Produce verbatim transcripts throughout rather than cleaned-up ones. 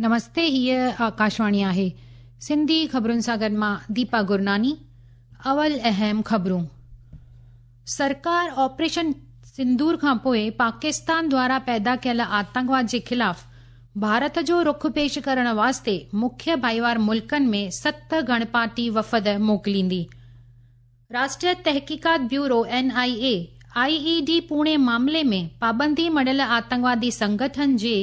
نمستي، هيء آڪاشواڻي آهي. سنڌي خبرن سان گڏ مان ديپا گرناني. اول اهم خبرون. سرڪار آپريشن سندور کان پوءِ پاڪستان دوارا پيدا ڪيل آتنڪواد جي خلاف ڀارت جو رخ پيش ڪرڻ واسطي مکيه ڀائيوار ملڪن ۾ ست گڻپارٽي وفد موڪليندي. راشٽريه تحقيقات bureau N I A I A D Pune معاملي ۾ پابندي مڙهيل آتنڪوادي سنگٺن جي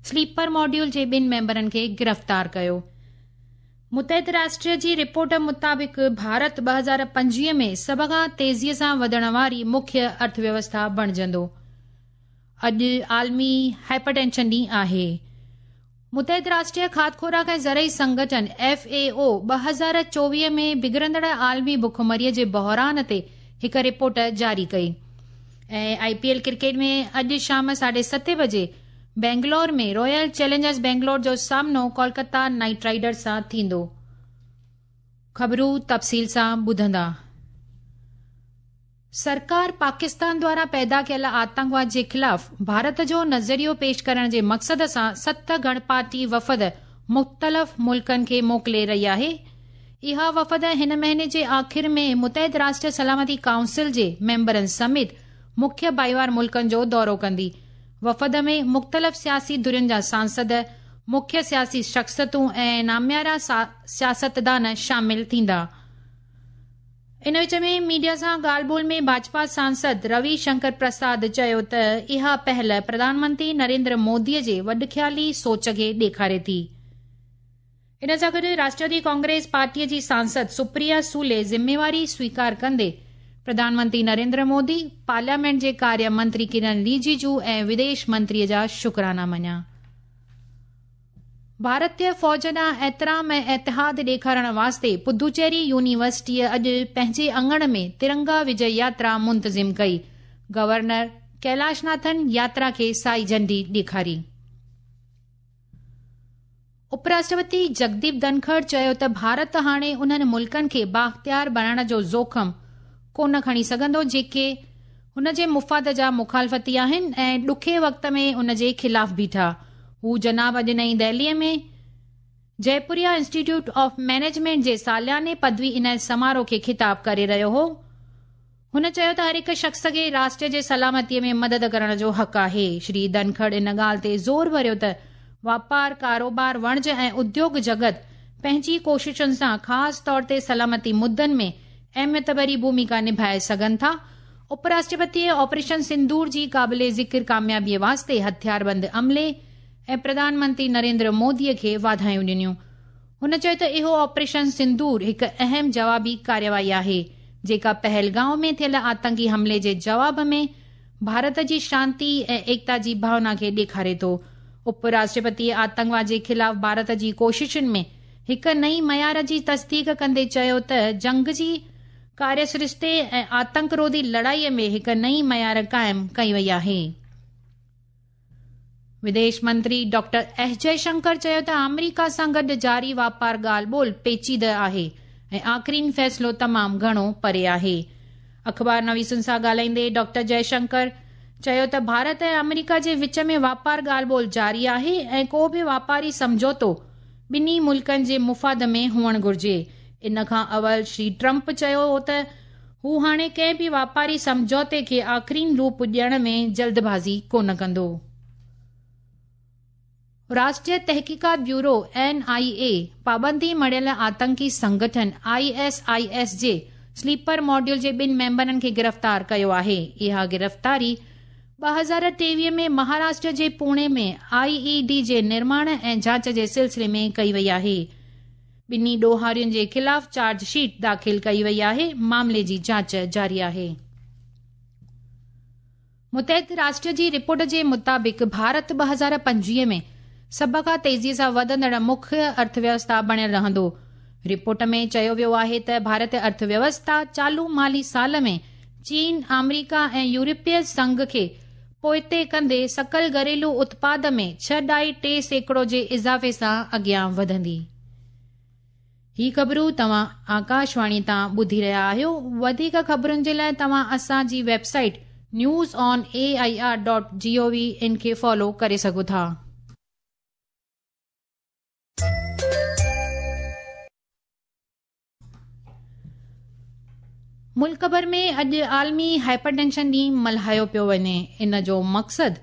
سليپر ماڊيول جي ٻن ميمبرن کي گرفتار ڪيو. متحده راشٽر جي رپورٽ مطابق ڀارت ٻه هزار پنجويهه ۾ سڀ کان تيزيءَ سان وڌڻ واري مکيه ارٿويوسٿا بڻجندو. اڄ عالمي هائپرٽينشن ڏينهن آهي. متحده راشٽريه کاڌ خوراڪ ۽ زرعي سنگٺن ايف اي او ٻه هزار چوويهه ۾ بگڙندڙ عالمي بکمريءَ جي بحران تي هڪ رپورٽ جاري ڪئي. ۽ آءِ پي ايل ڪرڪيٽ ۾ اڄ شام ساڍي ستين بجي بينگلور ۾ رائل چئلينجرز بينگلور جو سامنو ڪولڪتا نائيٽ رائيڊرز سان ٿيندو. خبرون تفصيل سان ٻڌندا. سرڪار پاڪستان دوارا پيدا ڪيل آتنڪواد جي خلاف ڀارت جو نظريو پيش ڪرڻ جي مقصد سان ست گڻپارٽي وفد مختلف ملڪن کي موڪلي رهي آهي. اها وفد هن مهيني جي آخر ۾ متحده راشٽر سلامتي ڪائونسل جي ميمبرن سميت مکيه ڀائيوار ملڪن جو دورو ڪندي. وفد ۾ مختلف سياسي ڌرين جا سانسد، مکيه سياسي شخصيتون ۽ ناميارا سياستدان شامل ٿيندا. ان وچ ۾ ميڊيا سان ڳالهه ٻولهه ۾ ڀاجپا سانسد روي شنڪر پرساد چيو ته اها پهل پرڌان منتري نريندر موديءَ جي وڏخيالي سوچ کي ڏيکاري ٿي. ان سان گڏ راشٽروادي ڪانگريس پارٽيءَ جي سانسد سپريا سولي ذميواري سويڪار ڪندي پرڌان منتري نريندر مودي، پارليامينٽ جي ڪاريه منتري ڪرن رجيجو ۽ وديش منتريءَ جا شڪرانا مڃيا. ڀارتيه فوج ڏانهن احترام ۽ اتحاد ڏيکارڻ واسطي پدوچيري يونيورسٽيءَ اڄ پنهنجي اڱڻ ۾ ترنگا وجي ياترا منتظم ڪئي. گورنر ڪيلاش ناٿن ياترا کي سائي جهنڊي ڏيکاري. اپراشٽرپتي جگديپ ڌنکڙ چيو ته ڀارت هاڻي انهن ملڪن کي بااختيار بڻائڻ جو جوکم ڪونه کڻي سگهندو جيڪي هن جي مفاد جا مخالفتي آهن ۽ ڏکي وقت ۾ ان جي خلاف بيٺا. هو جناب اڄ نئين دهليءَ ۾ جئپوريا انسٽيٽيوٽ آف مئنيجمينٽ جي سالياني پدوي عنايت سماروهه کي خطاب ڪري رهيو هو. هن چيو ته هر هڪ شخص کي راشٽر جي سلامتيءَ ۾ مدد ڪرڻ جو حق آهي. شري ڌنکڙ ان ڳالهه تي زور ڀريو ته واپار، ڪاروبار، وڻج ۽ اديوگ جڳت پنهنجي ڪوششن سان خاص طور تي سلامتي مدن ۾ اهميت ڀري ڀومڪا نڀائي سگهن ٿا. اپراشٽرپتيءَ آپريشن سندور جي قابل ذڪر ڪاميابيءَ واسطي هٿياربند عملي ۽ پرڌان منتري نريندر موديءَ کي واڌايون ڏنيون. هن چيو ته اهو آپريشن سندور هڪ اهم جوابي ڪارروائي آهي جيڪا پهلگائون ۾ ٿيل آتنڪي حملي جي جواب ۾ ڀارت جي شانتي ۽ ايڪتا جي ڀاونا کي ڏيکاري ٿو. اپراشٽرپتيءَ آتنڪواد جي خلاف ڀارت جي ڪوششن ۾ هڪ نئين معيار جي تصديق ڪندي چيو ته جنگ جي ڪاريه سرشتي ۽ آتنڪروڌي لڙائيءَ ۾ هڪ نئين معيار قائم ڪئي وئي آهي. وديش منتري ڊاڪٽر ايس جئشنڪر چيو ته آمريڪا سان گڏ جاري واپار ڳالهه ٻولهه پيچيده آهي ۽ آخرين فيصلو تمام گهڻو پري آهي. اخبار نويسن سان ڳالهائيندي ڊاڪٽر جئشنڪر چيو ته ڀارت ۽ آمريڪا جي وچ ۾ واپار ڳالهه ٻولهه جاري آهي ۽ ڪو به واپاري سمجهوتو ٻنهي ملڪن جي مفاد ۾ هئڻ گهرجي. ان کان اول شري ٽرمپ چيو هو ته هو هاڻي ڪنهن به واپاري سمجهوتي کي آخرين روپ ڏيڻ ۾ جلدبازي ڪونه ڪندو. راشٽريه تحقيقات بيورو اين آءِ اي پابندي مڙهيل آتنڪي سنگٺن I S I S جي سليپر ماڊيول جي ٻن ميمبرن کي گرفتار ڪيو آهي. اها گرفتاري ٻه هزار ٽيويهه ۾ مهاراشٽر جي پوني ۾ I A D جي نرماڻ ۽ جاچ جي سلسلي ۾ ڪئي وئي آهي. ٻنهي ڏوهارين جي خلاف چارج شيٽ داخل ڪئي وئي آهي. معاملي جي جاچ جاري آهي. متحده راشٽر جي رپورٽ جي مطابق ڀارت ٻه هزار پنجويهه ۾ سڀ کان تيزيءَ سان وڌندڙ مکيه ارٿويوسٿا بڻيل رهندو. رپورٽ ۾ چيو ويو آهي ته ڀارتيه ارٿويوسٿا چالو مالي سال ۾ چين، آمريڪا ۽ يورپي سنگهه کي پوئتي ڪندي سڪل گهريلو اتپاد ۾ ڇهه ڏهائي ٽي سيڪڙو جي اضافي سان اڳيان وڌندي. هي خبرون توهان آڪاشواڻي تان ٻڌي رهيا آهيو. وڌيڪ خبرن جي لاءِ توهان اسان جي website news on A I R dot G O V in کي فالو ڪري سگهو ٿا. मुल्क भर में अॼु आलमी हाइपरटेंशन ॾींहुं मल्हायो पियो वञे। इन जो मक़सदु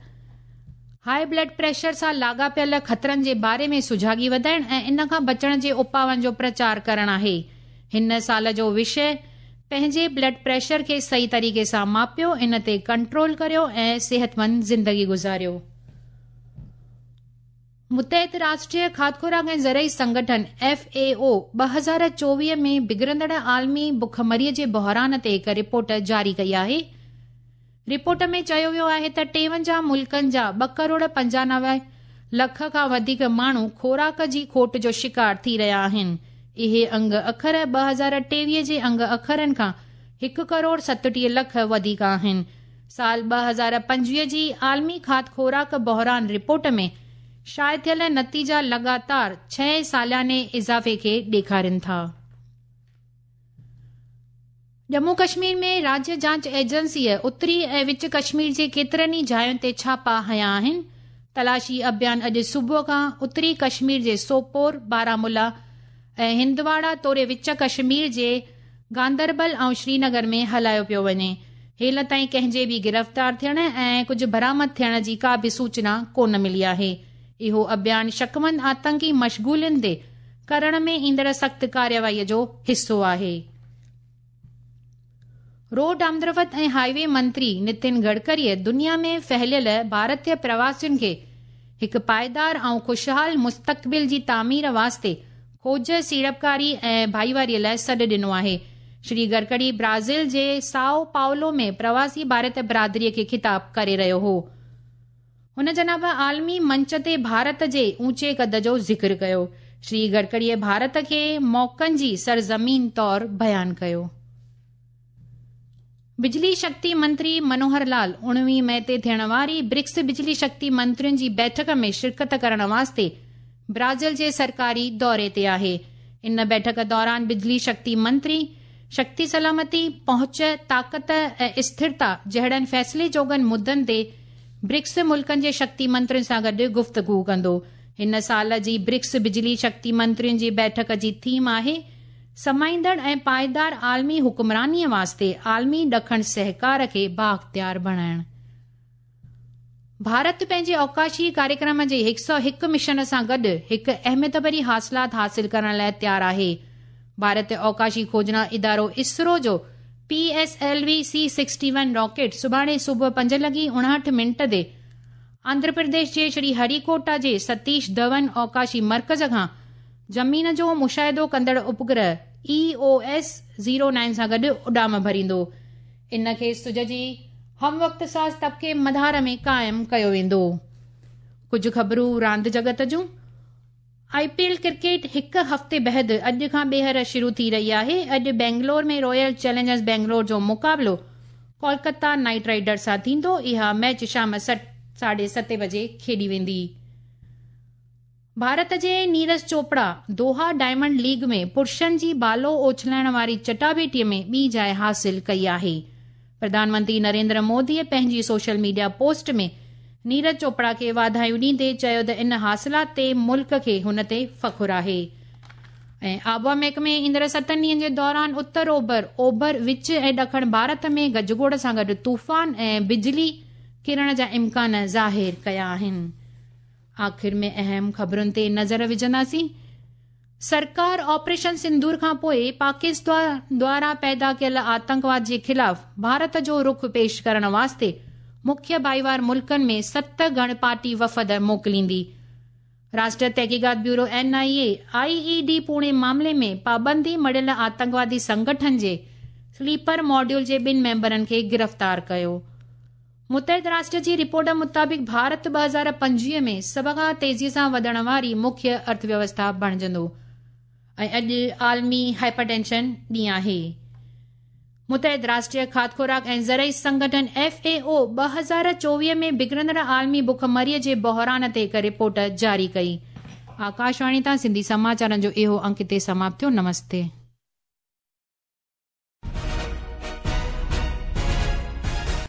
हाई ब्लड प्रेशर सां लाॻापियल ख़तरनि जे बारे में सुझागी वधाइण ऐं इन खां बचण जे उपाउनि जो प्रचार करणु आहे। हिन साल जो विषय पंहिंजे ब्लड प्रेशर खे सही तरीक़े सां मापियो, इन ते कंट्रोल करियो ऐं सिहतमंद ज़िंदगी गुज़ारियो। मुतहद राष्ट्रीय खाद्य खुराक ऐं ज़रई संगठन एफ ए ओ ॿ हज़ार चोवीह में बिगड़ंदड़ आलमी भुखमरीअ जे बहरान ते हिकु रिपोर्ट जारी कई आहे। रिपोर्ट में चयो वियो आहे त टेवंजाह मुल्कनि जा ॿ करोड़ पंजानवे लख खां वधीक माण्हू खोराक जी खोट जो शिकार थी रहिया आहिनि। इहे अंग अखर ॿ हज़ार टेवीह जे अंग अखरनि खां हिकु करोड़ सतटीह लख वधीक आहिनि। साल ॿ हज़ार पंजवीह जी आलमी खाद्य खोराक बहरान रिपोर्ट में शाये थियल नतीजा लगातार छह सालाने इज़ाफ़े खे ॾेखारनि था। जम्मू कश्मीर में राज्य जांच एजेंसीअ उत्तरी ऐं विच कश्मीर जे केतिरनि ई जायुनि ते छापा हया आहिनि। तलाशी अभियान अॼु सुबुह खां उत्तरी कश्मीर जे सोपोर, बारामूला ऐं हिंदवाड़ा तोड़े विच कश्मीर जे गांदरबल ऐं श्रीनगर में हलायो पियो वञे। हेल ताईं कंहिंजे बि गिरफ़्तार थियण ऐं कुझु बरामद थियण जी का बि सूचना कोन मिली आहे। इहो अभियान शकमंद आतंकी मशगूलियुनि ते करण में ईंदड़ सख़्तु कार्यवाहीअ जो हिसो आहे। रोड आमदरफ़्त ऐं हाईवे मंत्री नितिन गडकरीअ दुनिया में फैलियल भारतीय प्रवासियुनि खे हिकु पाइदार ऐं ख़ुशहाल मुस्तक़बिल जी तामीर वास्ते खोज, सीड़पकारी ऐं भाईवारीअ लाइ सॾु ॾिनो आहे। श्री गडकरी ब्राज़ील जे साओ पाउलो में प्रवासी भारत बिरादरीअ खे ख़िताब करे रहियो हो। हुन जनाब आलमी मंच ते भारत जे ऊंचे कद जो ज़िक्र कयो। श्री गडकरीअ भारत खे मौक़नि जी सरज़मीन तौर बयानु कयो। बिजली शक्ति मंत्री मनोहर लाल उणिवीह मई ते थियण वारी ब्रिक्स बिजली शक्ति मंत्रियुनि जी बैठक में शिरकत करण वास्ते ब्राज़ील जे सरकारी दौरे ते आहे। इन बैठक दौरान बिजली शक्ति मंत्री शक्ति सलामती, पहुंच, ताक़त ऐं स्थिरता जहिड़नि फ़ैसिले जोॻनि मुद्दनि ते ब्रिक्स मुल्कनि जे शक्ति मंत्रियुनि सां गॾु गुफ़्तगू कंदो। हिन साल जी ब्रिक्स बिजली शक्ति मंत्रियुनि जी बैठक जी थीम आहे समाईंदड़ ऐं पाइदार आलमी हुक्मरानीअ वास्ते आलमी ॾखण सहकार खे बाख़्तियार बणाइण। भारत पंहिंजे अवकाशी कार्यक्रम जे हिकु सौ हिकु मिशन सां गॾु हिकु अहमियत भरी हासिलात हासिल करण लाइ तयारु आहे। भारत अवकाशी खोजना इदारो इसरो जो P S L V C sixty one rocket सुभाणे सुबुह पंज लॻी उणहठि मिंट ते आंध्र प्रदेश जे श्री हरिकोटा जे सतीश धवन अवकाशी मर्कज़ खां ज़मीन जो मुशाहिदो कंदड़ उपग्रह E O S zero nine सां गॾु उॾाम भरींदो। इन खे सुज जी हम वक़्त साज़ तबके मदार में क़ाइमु कयो वेंदो। कुझु ख़बरूं रांदि जगत जूं। I P L cricket हिकु हफ़्ते बाद अॼु खां ॿीहर शुरू थी रही आहे। अॼु बेंगलोर में रॉयल चैलेंजर्स बेंगलोर जो मुक़ाबिलो कोलकाता नाइट राइडर्स सां थींदो। इहा मैच शाम साढे सते बजे खेॾी वेंदी। भारत जे नीरज चोपड़ा दोहा डायमंड लीग में पुरुषनि जी बालो उछलाइण वारी चटाभेटीअ में ॿी जाइ हासिल कई आहे। प्रधानमंत्री नरेंद्र मोदीअ पंहिंजी सोशल मीडिया पोस्ट में नीरज चोपड़ा खे वाधायूं ॾींदे चयो त इन हासिलात ते मुल्क खे हुन ते फ़ख़ुरु आहे। ऐं आबहावा महकमे ईंदड़ सतनि ॾींहंनि जे दौरान उत्तर ओभर, ओभर, विच ऐं ॾखण भारत में गजगोड़ सां गॾु तूफ़ान ऐं बिजली किरण जा इम्कान ज़ाहिर कया आहिनि। आख़िर में अहम ख़बरुनि ते नज़र विझंदासीं। सरकार ऑपरेशन सिंदूर खां पोइ पाकिस्तान द्वारा पैदा कयल आतंकवाद जे ख़िलाफ़ भारत जो रुख पेश करण वास्ते मुख्य भाईवार मुल्कनि में सत गण पार्टी वफ़द मोकिलींदी। राष्ट्रीय तहक़ीक़ात bureau N I A I E D Pune मामले में पाबंदी मढ़ियल आतंकवादी संगठन जे स्लीपर मॉड्यूल जे ॿिनि मेंबरनि खे गिरफ़्तार कयो। मुतहद राष्ट्र जी रिपोर्ट मुताबिक़ भारत ॿ हज़ार पंजवीह में सभ खां तेज़ीअ सां वधण वारी मुख्य अर्थव्यवस्था बणिजंदो। ऐं अॼु आलमी हाइपरटेंशन ॾींहुं आहे। मुतहद राष्ट्रीय खाद्य खुराक ऐं ज़रई संगठन एफ ए ओ ॿ हज़ार चोवीह में बिगड़ंदड़ आलमी भुखमरीअ जे बहरान ते हिकु रिपोर्ट जारी कई। आकाशवाणी तां सिंधी समाचारनि जो इहो अंक हिते समाप्त थियो। नमस्ते।